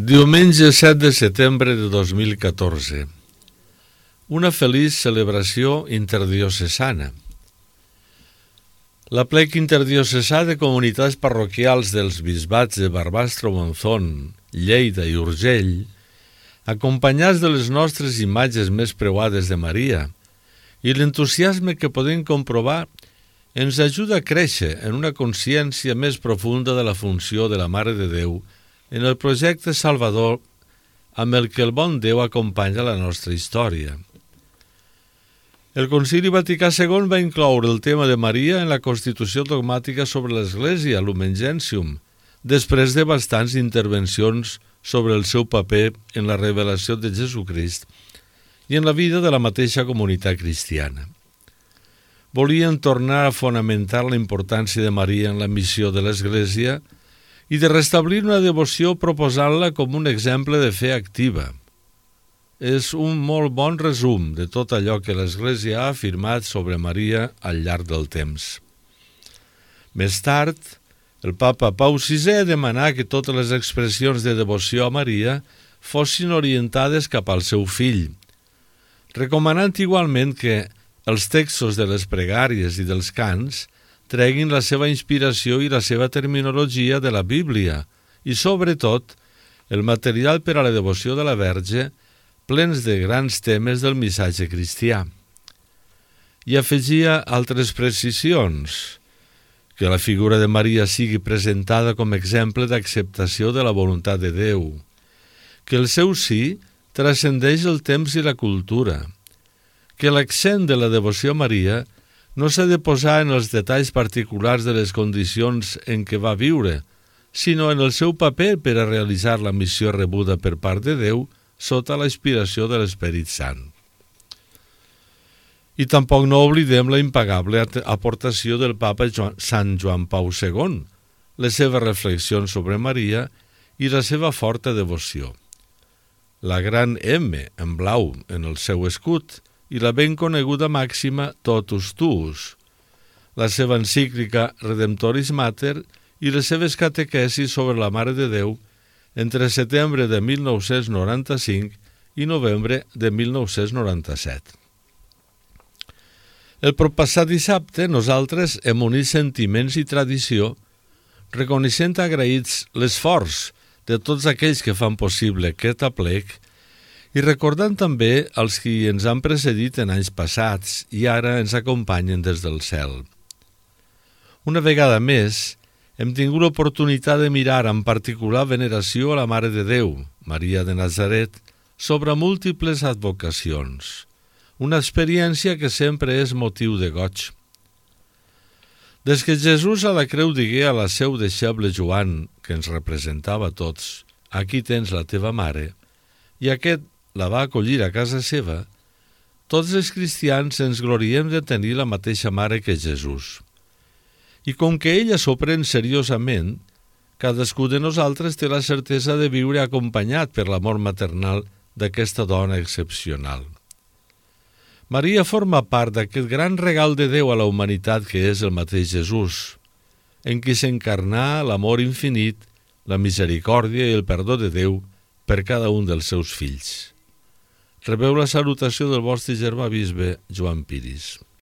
Diumenge 7 de setembre de 2014. Una feliç celebració interdiocesana. L'aplec interdiocesà de comunitats parroquials dels bisbats de Barbastro, Monzón, Lleida i Urgell, acompanyats de les nostres imatges més preuades de Maria, i l'entusiasme que podem comprovar ens ajuda a créixer en una consciència més profunda de la funció de la Mare de Déu en el projecte salvador amb el que el bon Déu acompanya la nostra història. El Concili Vaticà II va incloure el tema de Maria en la Constitució dogmàtica sobre l'Església, Lumen Gentium, després de bastants intervencions sobre el seu paper en la revelació de Jesucrist i en la vida de la mateixa comunitat cristiana. Volien tornar a fonamentar la importància de Maria en la missió de l'Església i de restablir una devoció proposant-la com un exemple de fe activa. És un molt bon resum de tot allò que l'Església ha afirmat sobre Maria al llarg del temps. Més tard, el papa Pau VI demanà que totes les expressions de devoció a Maria fossin orientades cap al seu fill, recomanant igualment que els textos de les pregàries i dels cants treguin la seva inspiració i la seva terminologia de la Bíblia i, sobretot, el material per a la devoció de la Verge, plens de grans temes del missatge cristià. I afegia altres precisions, que la figura de Maria sigui presentada com a exemple d'acceptació de la voluntat de Déu, que el seu sí transcendeix el temps i la cultura, que l'accent de la devoció a Maria no s'ha de posar en els detalls particulars de les condicions en què va viure, sinó en el seu paper per a realitzar la missió rebuda per part de Déu sota la inspiració de l'Esperit Sant. I tampoc no oblidem la impagable aportació del papa Sant Joan Pau II, les seves reflexions sobre Maria i la seva forta devoció. La gran M en blau en el seu escut i la ben coneguda màxima Totus Tuus, la seva encíclica Redemptoris Mater i les seves catequesis sobre la Mare de Déu entre setembre de 1995 i novembre de 1997. El proppassat dissabte nosaltres hem unit sentiments i tradició, reconeixent agraïts l'esforç de tots aquells que fan possible aquest aplec i recordant també els qui ens han precedit en anys passats i ara ens acompanyen des del cel. Una vegada més, hem tingut l'oportunitat de mirar amb particular veneració a la Mare de Déu, Maria de Nazaret, sobre múltiples advocacions, una experiència que sempre és motiu de goig. Des que Jesús a la creu digué a la seu deixeble Joan, que ens representava a tots, «Aquí tens la teva mare», i aquest la va acollir a casa seva, tots els cristians ens gloriem de tenir la mateixa mare que Jesús. I com que ella s'ho pren seriosament, cadascú de nosaltres té la certesa de viure acompanyat per l'amor maternal d'aquesta dona excepcional. Maria forma part d'aquest gran regal de Déu a la humanitat que és el mateix Jesús, en qui s'encarnà l'amor infinit, la misericòrdia i el perdó de Déu per cada un dels seus fills. Rebeu la salutació del vostre germà bisbe Joan Piris.